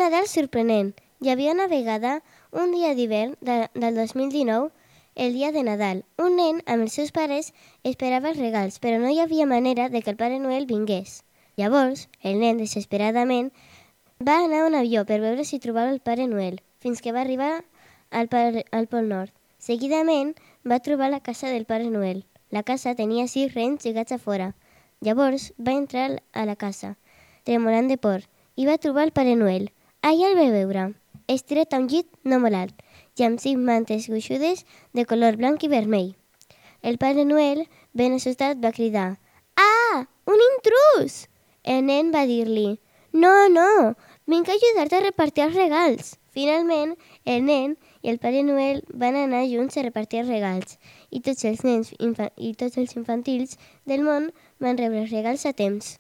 Nadal sorprenent. Hi havia una vegada, un dia d'hivern del 2019, el dia de Nadal. Un nen amb els seus pares esperava els regals, però no hi havia manera de que el Pare Noel vingués. Llavors, el nen, desesperadament, va anar a un avió per veure si trobava el Pare Noel, fins que va arribar al Pol Nord. Seguidament, va trobar la casa del Pare Noel. La casa tenia 6 rens lligats a fora. Llavors, va entrar a la casa, tremolant de por, i va trobar el Pare Noel. Allà el va veure, estirat a un llit no molt alt, i amb 5 mantes gruixudes de color blanc i vermell. El Pare Noel, ben assustat, va cridar: «Ah, un intrús!» El nen va dir-li: «No, vinc a ajudar-te a repartir els regals». Finalment, el nen i el Pare Noel van anar junts a repartir els regals, i tots els nens i tots els infantils del món van rebre els regals a temps.